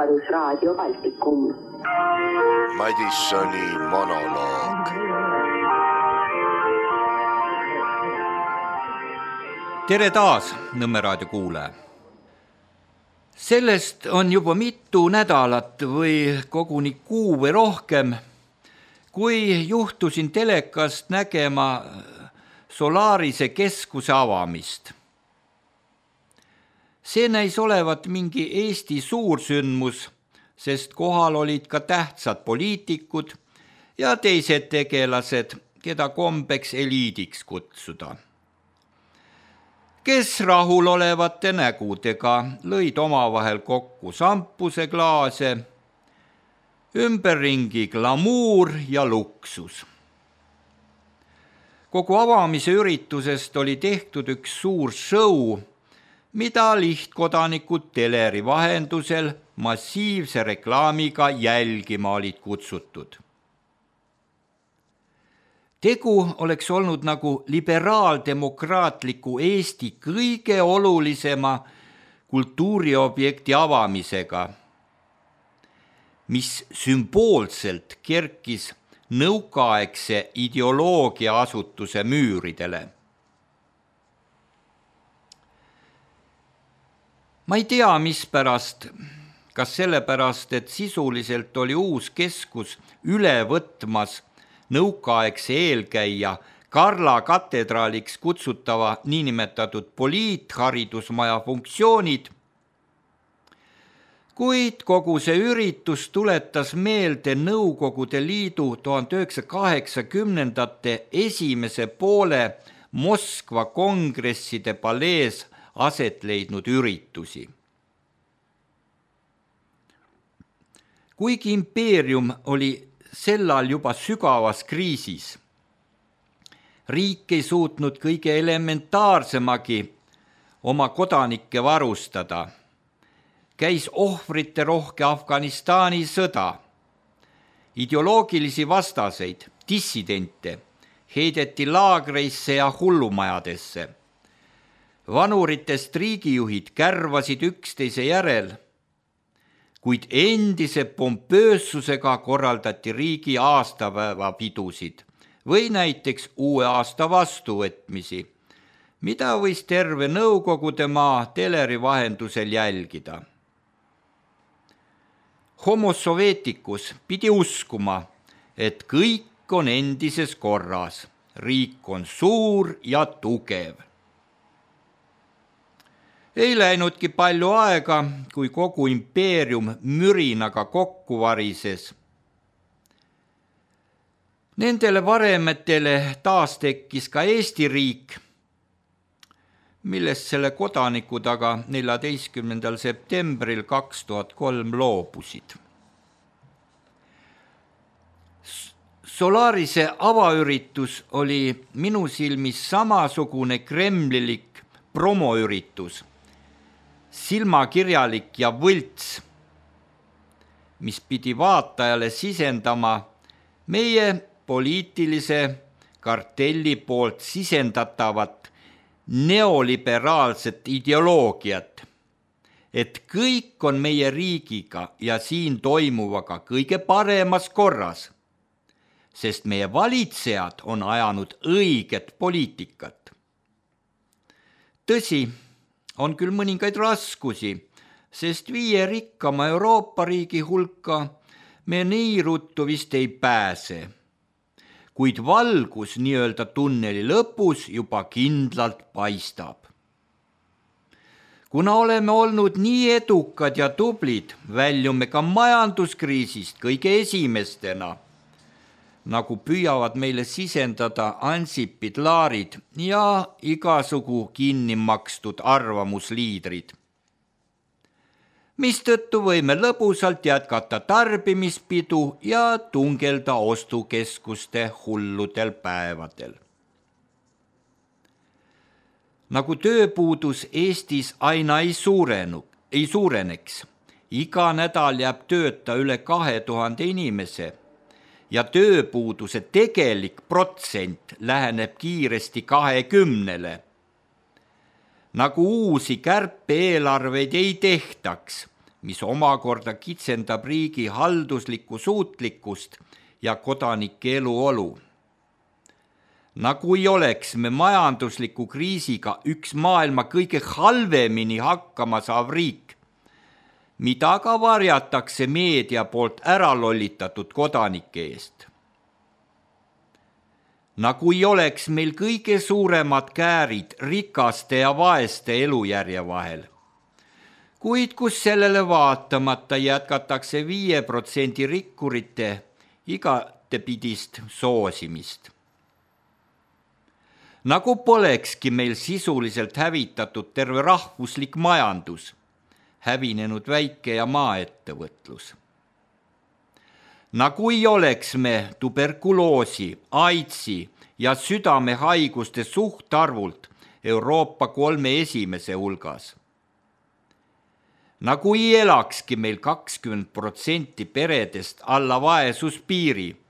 Vabadusraadio Baltikum. Madissoni monoloog. Tere taas, Nõmme raadio kuulaja. Sellest on juba mitu nädalat või koguni kuu või rohkem, kui juhtusin telekast nägema Solarise keskuse avamist. See näis olevat mingi Eesti suursündmus, sest kohal olid ka tähtsad poliitikud ja teised tegelased, keda kombeks eliidiks kutsuda, kes rahulolevate nägudega lõid omavahel kokku šampuseklaase, ümberringi glamuur ja luksus. Kogu avamise üritusest oli tehtud üks suur show, mida lihtkodanikud teleri vahendusel massiivse reklaamiga jälgima olid kutsutud. Tegu oleks olnud nagu liberaaldemokraatliku Eesti kõige olulisema kultuuriobjekti avamisega, mis sümboolselt kerkis nõukaaegse ideoloogia asutuse müüridele. Ma ei tea, mispärast, kas sellepärast, et sisuliselt oli uus keskus üle võtmas nõukaaegse eelkäija Karla katedraaliks kutsutava niinimetatud poliitharidusmaja funktsioonid, kuid kogu see üritus tuletas meelde Nõukogude Liidu 1980-ndate esimese poole Moskva kongresside palees aset leidnud üritusi. Kuigi impeerium oli sellal juba sügavas kriisis, riik ei suutnud kõige elementaarsemagi oma kodanikke varustada. Käis ohvrite rohke Afganistani sõda, ideoloogilisi vastaseid, dissidente heideti laagreisse ja hullumajadesse. Vanuritest riigijuhid kärvasid üksteise järel, kuid endise pompöössusega korraldati riigi aastapäevapidusid või näiteks uue aasta vastuvõtmisi, mida võis terve Nõukogude maa teleri vahendusel jälgida. Homo Sovieticus pidi uskuma, et kõik on endises korras, riik on suur ja tugev. Ei läinudki palju aega, kui kogu impeerium mürinaga kokku varises. Nendele varemetele taas tekkis ka Eesti riik, millest selle kodanikud aga 14. septembril 2003 loobusid. Solarise avaüritus oli minu silmis samasugune kremlilik promoüritus, silmakirjalik ja võlts, mis pidi vaatajale sisendama meie poliitilise kartelli poolt sisendatavat neoliberaalset ideoloogiat, et kõik on meie riigiga ja siin toimuvaga kõige paremas korras, sest meie valitsejad on ajanud õiget poliitikat. Tõsi, on küll mõningaid raskusi, sest 5 rikkama Euroopa riigi hulka me nii ruttu vist ei pääse, kuid valgus nii-öelda tunneli lõpus juba kindlalt paistab. Kuna oleme olnud nii edukad ja tublid, väljume ka majanduskriisist kõige esimestena, nagu püüavad meile sisendada Ansipid Laarid ja igasugu kinni makstud arvamusliidrid. Mistõttu võime lõbusalt jätkata tarbimispidu ja tungelda ostukeskuste hulludel päevadel. Nagu tööpuudus Eestis aina ei suureneks, iga nädal jääb tööta üle 2000 inimese, ja tööpuuduse tegelik protsent läheneb kiiresti 20-le. Nagu uusi kärpe-eelarveid ei tehtaks, mis omakorda kitsendab riigi halduslikku suutlikkust ja kodanike eluolu. Nagu ei oleks me majandusliku kriisiga üks maailma kõige halvemini hakkama saav riik, mida ka varjatakse meedia poolt ära lollitatud kodanike eest. Nagu ei oleks meil kõige suuremad käärid rikaste ja vaeste elujärje vahel, kuid kus sellele vaatamata jätkatakse 5% rikkurite igatepidist soosimist. Nagu polekski meil sisuliselt hävitatud terve rahvuslik majandus, hävinenud väike- ja maaettevõtlus. Nagu ei oleks me tuberkuloosi, AIDSi ja südamehaiguste suhtarvult Euroopa 3 esimese hulgas. Nagu ei elakski meil 20% peredest alla vaesuspiiri,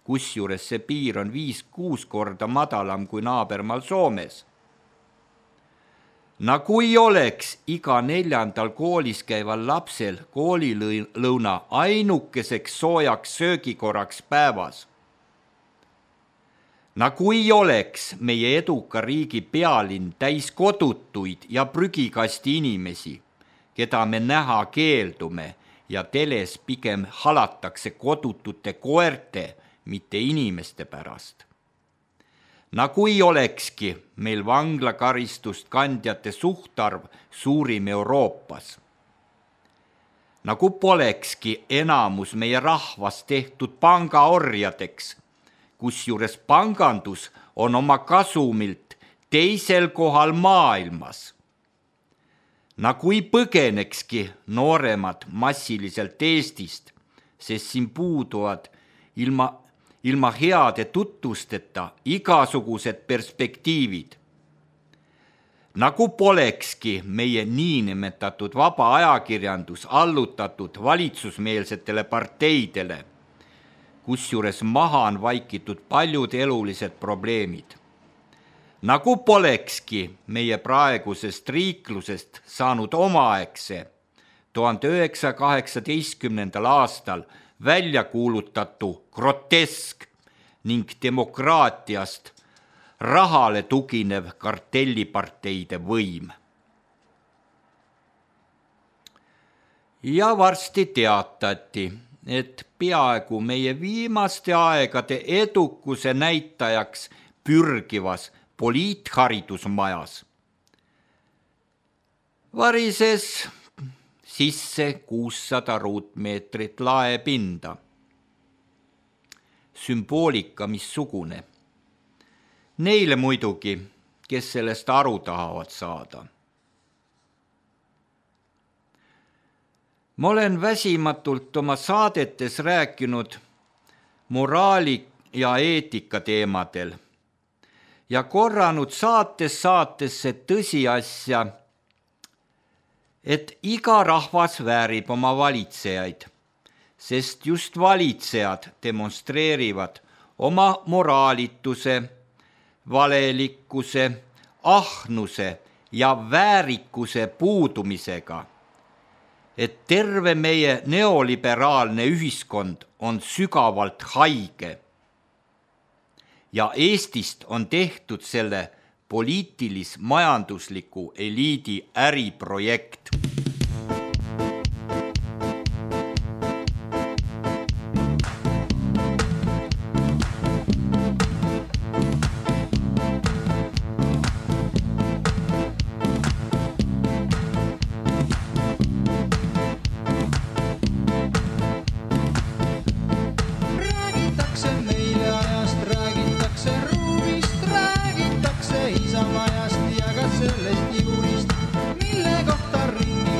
kusjuures see piir on 5-6 korda madalam kui naabermaal Soomes. Nagu ei oleks iga 4. koolis käival lapsel koolilõuna ainukeseks soojaks söögikorraks päevas. Nagu ei oleks meie eduka riigi pealinn täis kodutuid ja prügikasti inimesi, keda me näha keeldume ja teles pigem halatakse kodutute koerte, mitte inimeste pärast. Nagu ei olekski meil vanglakaristust kandjate suhtarv suurim Euroopas. Nagu polekski enamus meie rahvast tehtud pangaorjadeks, kusjuures pangandus on oma kasumilt teisel kohal maailmas. Nagu ei põgenekski nooremad massiliselt Eestist, sest siin puuduvad ilma heade tutvusteta igasugused perspektiivid. Nagu polekski meie niinimetatud vaba ajakirjandus allutatud valitsusmeelsetele parteidele, kusjuures maha on vaikitud paljud elulised probleemid. Nagu polekski meie praegusest riiklusest saanud omaaegse 1918. aastal välja kuulutatu grotesk ning demokraatiast rahale tuginev kartelliparteide võim. Ja varsti teatati, et peaaegu meie viimaste aegade edukuse näitajaks pürgivas poliitharidusmajas varises sisse 600 ruutmeetrit laepinda. Sümboolika missugune. Neile muidugi, kes sellest aru tahavad saada. Ma olen väsimatult oma saadetes rääkinud moraali ja eetika teemadel ja korranud saatesse tõsiasja, et iga rahvas väärib oma valitsejaid, sest just valitsejad demonstreerivad oma moraalituse, valelikkuse, ahnuse ja väärikuse puudumisega, et terve meie neoliberaalne ühiskond on sügavalt haige ja Eestist on tehtud selle poliitilis-majandusliku eliidi äriprojekt. Isamajast ja ka sellest juurist, mille kohta ringi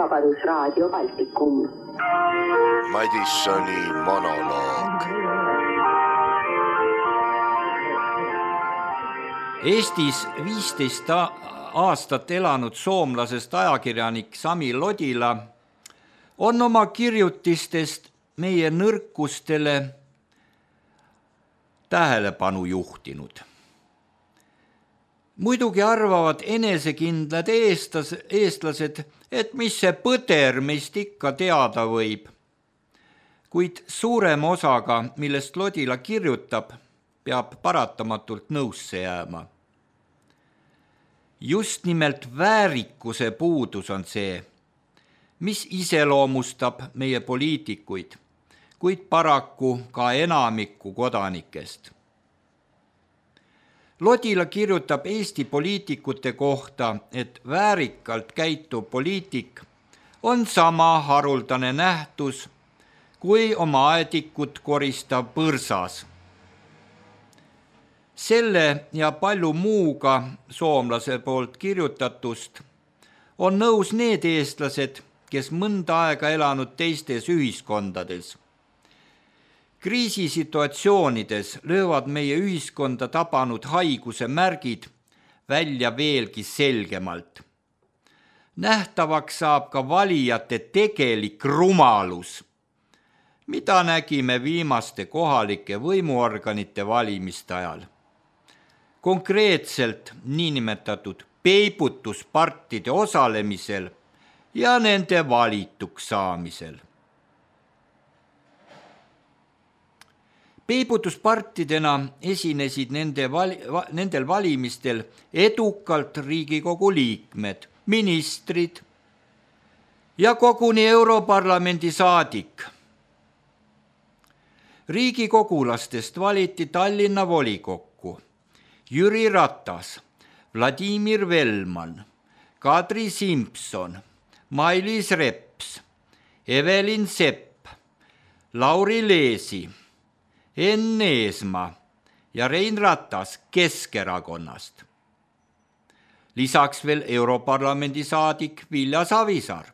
Vabadusraadio Baltikum. Madissoni monoloog. Eestis 15 aastat elanud soomlasest ajakirjanik Sami Lodila on oma kirjutistest meie nõrkustele tähelepanu juhtinud. Muidugi arvavad enesekindlad eestlased, et mis see põder meist ikka teada võib, kuid suurema osaga, millest Lodila kirjutab, peab paratamatult nõusse jääma. Just nimelt väärikuse puudus on see, mis iseloomustab meie poliitikuid, kuid paraku ka enamikku kodanikest. Lodila kirjutab Eesti poliitikute kohta, et väärikalt käituv poliitik on sama haruldane nähtus kui oma aedikut koristav põrsas. Selle ja palju muuga soomlase poolt kirjutatust on nõus need eestlased, kes mõnda aega elanud teistes ühiskondades. Kriisisituatsioonides löövad meie ühiskonda tabanud haiguse märgid välja veelgi selgemalt. Nähtavaks saab ka valijate tegelik rumalus, mida nägime viimaste kohalike võimuorganite valimiste ajal. Konkreetselt niinimetatud peibutuspartide osalemisel ja nende valituks saamisel. Peibutuspartidena esinesid nendel valimistel edukalt Riigikogu liikmed, ministrid ja koguni Europarlamendi saadik. Riigikogulastest valiti Tallinna volikokku Jüri Ratas, Vladimir Velman, Kadri Simson, Mailis Reps, Evelin Sepp, Lauri Leesi, Enn Eesmaa ja Rein Ratas Keskerakonnast. Lisaks veel Europarlamendi saadik Vilja Savisaar.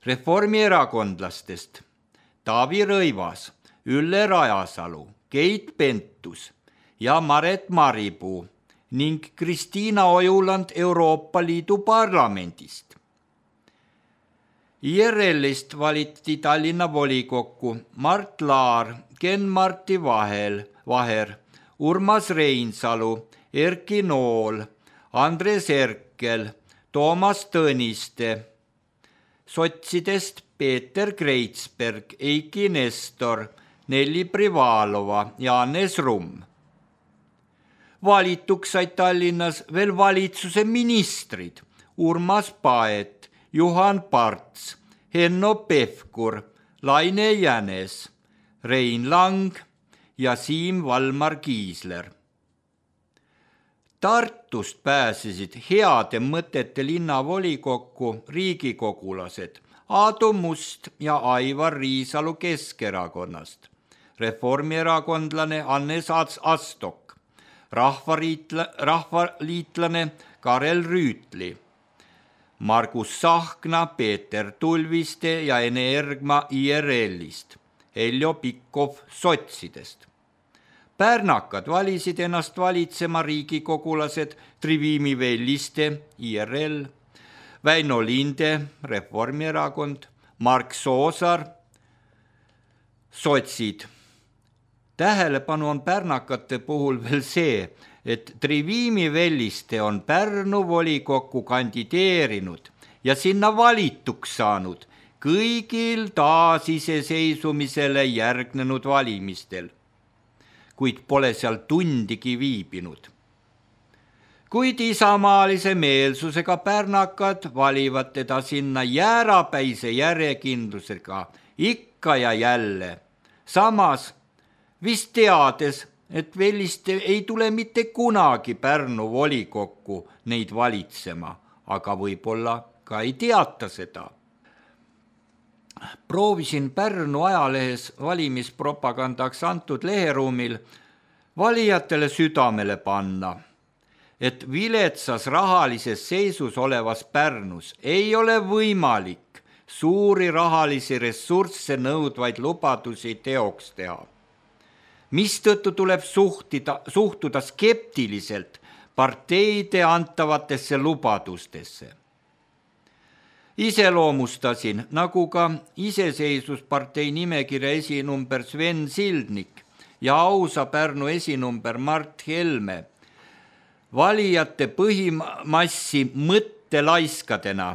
Reformierakondlastest Taavi Rõivas, Ülle Rajasalu, Keit Pentus ja Maret Maripuu ning Kristiina Ojuland Euroopa Liidu parlamendist. IRL-ist valiti Tallinna volikokku Mart Laar, Ken-Marti Vaher, Urmas Reinsalu, Erki Nool, Andres Erkel, Toomas Tõniste, sotsidest Peeter Kreitsberg, Eiki Nestor, Nelli Privalova ja Hannes Rumm. Valituks said Tallinnas veel valitsuse ministrid Urmas Paet, Juhan Parts, Henno Pevkur, Laine Jänes, Rein Lang ja Siim Valmar Kiisler. Tartust pääsesid heade mõtete linnavolikokku riigikogulased Aadu Must ja Aivar Riisalu Keskerakonnast, reformierakondlane Hannes Astok, rahvaliitlane Karel Rüütli, Margus Sahkna, Peeter Tulviste ja Ene Ergma IRL-ist, Heljo Pikhof sotsidest. Pärnakad valisid ennast valitsema riigikogulased Trivimi Velliste, IRL, Väino Linde, Reformierakond, Mark Soosaar, sotsid. Tähelepanu on pärnakate puhul veel see, et Trivimi Velliste on Pärnu volikokku kandideerinud ja sinna valituks saanud kõigil taasiseseisvumisele järgnenud valimistel, kuid pole seal tundigi viibinud. Kuid isamaalise meelsusega pärnakad valivad teda sinna jäärapäise järjekindlusega ikka ja jälle, samas vist teades, et Velliste ei tule mitte kunagi Pärnu volikokku neid valitsema, aga võib-olla ka ei teata seda. Proovisin Pärnu ajalehes valimispropagandaks antud leheruumil valijatele südamele panna. et viletsas rahalises seisus olevas Pärnus ei ole võimalik suuri rahalisi ressursse nõudvaid lubadusi teoks teha, mistõttu tuleb suhtuda skeptiliselt parteide antavatesse lubadustesse. Iseloomustasin, nagu ka Iseseisvuspartei nimekirja esinumber Sven Sildnik ja ausa Pärnu esinumber Mart Helme valijate põhimassi mõttelaiskadena,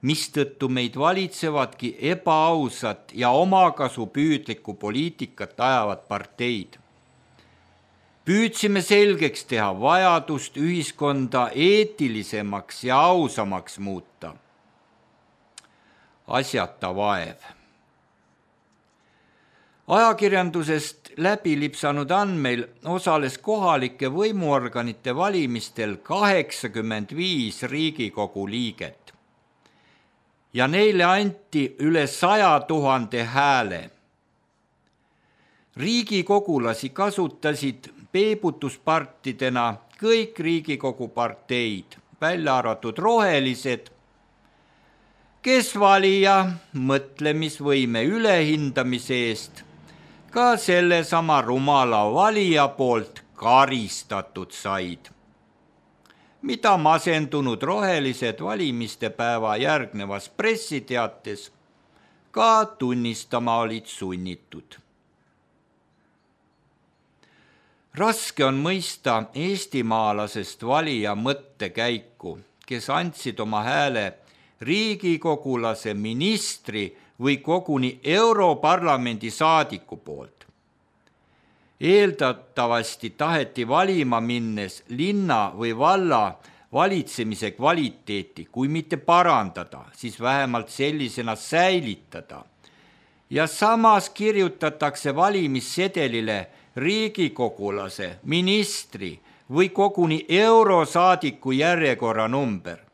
mistõttu meid valitsevadki ebaausat ja omakasupüüdlikku poliitikat ajavad parteid. Püüdsime selgeks teha vajadust ühiskonda eetilisemaks ja ausamaks muuta. Asjata vaev. Ajakirjandusest läbi lipsanud andmeil osales kohalike võimuorganite valimistel 85 Riigikogu liiget ja neile anti üle 100 000 hääle. Riigikogulasi kasutasid peebutuspartidena kõik Riigikogu parteid, välja arvatud rohelised, kes valija mõtlemisvõime ülehindamise eest ka sellesama rumala valija poolt karistatud said, mida masendunud rohelised valimiste päeva järgnevas pressiteates ka tunnistama olid sunnitud. Raske on mõista eestimaalasest valija mõttekäiku, kes andsid oma hääle riigikogulase, ministri või koguni Europarlamendi saadiku poolt. Eeldatavasti taheti valima minnes linna või valla valitsemise kvaliteeti, kui mitte parandada, siis vähemalt sellisena säilitada. Ja samas kirjutatakse valimissedelile riigikogulase, ministri või koguni eurosaadiku järjekorra number.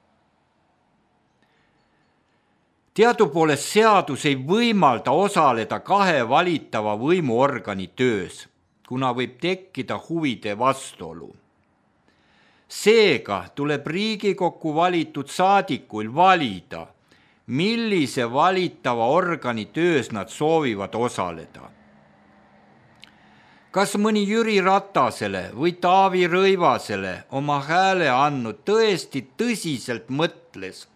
Teadupoolest seadus ei võimalda osaleda kahe valitava võimuorgani töös, kuna võib tekkida huvide vastuolu. Seega tuleb Riigikokku valitud saadikuil valida, millise valitava organi töös nad soovivad osaleda. Kas mõni Jüri Ratasele või Taavi Rõivasele oma hääle andnud tõesti tõsiselt mõtles,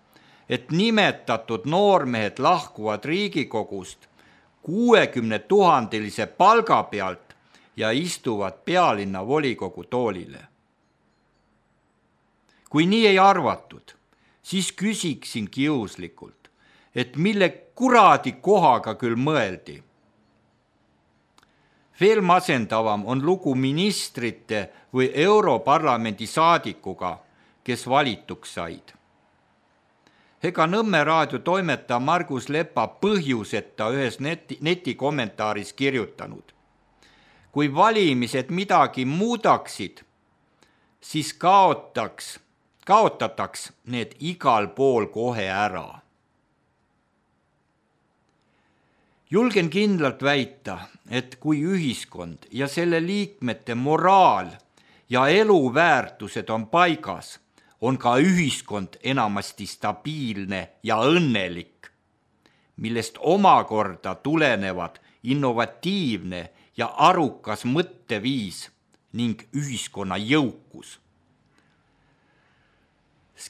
et nimetatud noormehed lahkuvad Riigikogust 60 000 palga pealt ja istuvad pealinna volikogu toolile? Kui nii ei arvatud, siis küsiksin kiuslikult, et mille kuradi kohaga küll mõeldi. Veel masendavam on lugu ministrite või Europarlamendi saadikuga, kes valituks said. Ega Nõmme raadio toimetaja Margus Lepa põhjuseta ühes netikommentaaris kirjutanud. Kui valimised midagi muudaksid, siis kaotataks need igal pool kohe ära. Julgen kindlalt väita, et kui ühiskond ja selle liikmete moraal ja eluväärtused on paigas, on ka ühiskond enamasti stabiilne ja õnnelik, millest omakorda tulenevad innovatiivne ja arukas mõtteviis ning ühiskonna jõukus.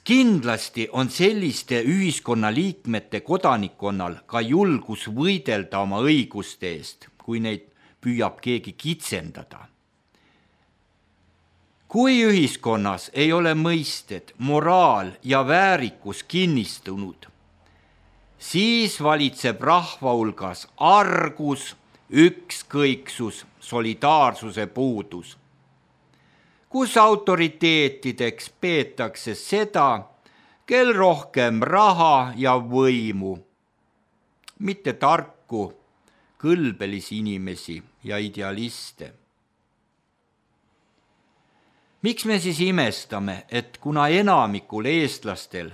Kindlasti on selliste ühiskonnaliikmete kodanikkonnal ka julgus võidelda oma õiguste eest, kui neid püüab keegi kitsendada. Kui ühiskonnas ei ole mõisted, moraal ja väärikus kinnistunud, siis valitseb rahva hulgas argus, ükskõiksus, solidaarsuse puudus, kus autoriteetideks peetakse seda, kel rohkem raha ja võimu, mitte tarku, kõlbelisi inimesi ja idealiste. Miks me siis imestame, et kuna enamikul eestlastel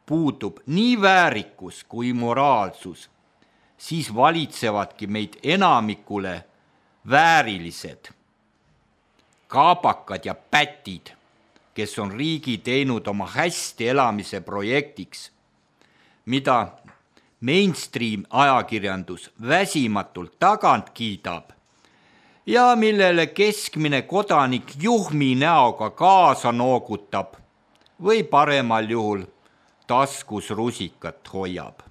puudub nii väärikus kui moraalsus, siis valitsevadki meid enamikule väärilised, kaabakad ja pätid, kes on riigi teinud oma hästi elamise projektiks, mida mainstream ajakirjandus väsimatult tagant kiidab ja millele keskmine kodanik juhmi näoga kaasa noogutab või paremal juhul taskus rusikat hoiab.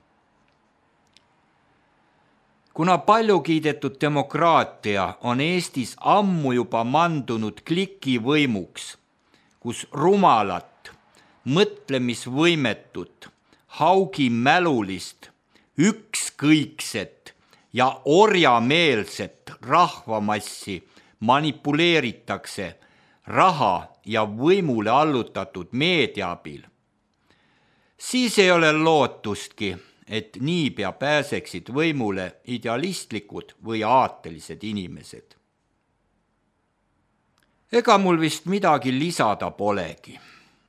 Kuna palju kiidetud demokraatia on Eestis ammu juba mandunud klikivõimuks, kus rumalat, mõtlemisvõimetut, haugimälulist, ükskõikset ja orjameelset rahvamassi manipuleeritakse raha ja võimule allutatud meedia abil, siis ei ole lootustki, et niipea pääseksid võimule idealistlikud või aatelised inimesed. Ega mul vist midagi lisada polegi.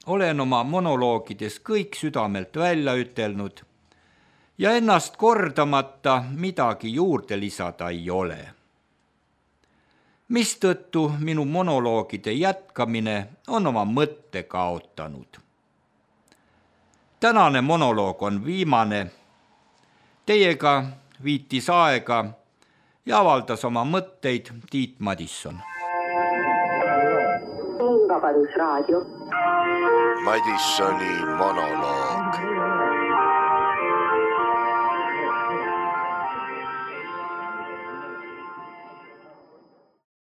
Olen oma monoloogides kõik südamelt välja ütelnud ja ennast kordamata midagi juurde lisada ei ole. Mistõttu minu monoloogide jätkamine on oma mõtte kaotanud. Tänane monoloog on viimane. Teiega viitis aega ja avaldas oma mõtteid Tiit Madisson. Vabadusraadio. Madissoni monoloog.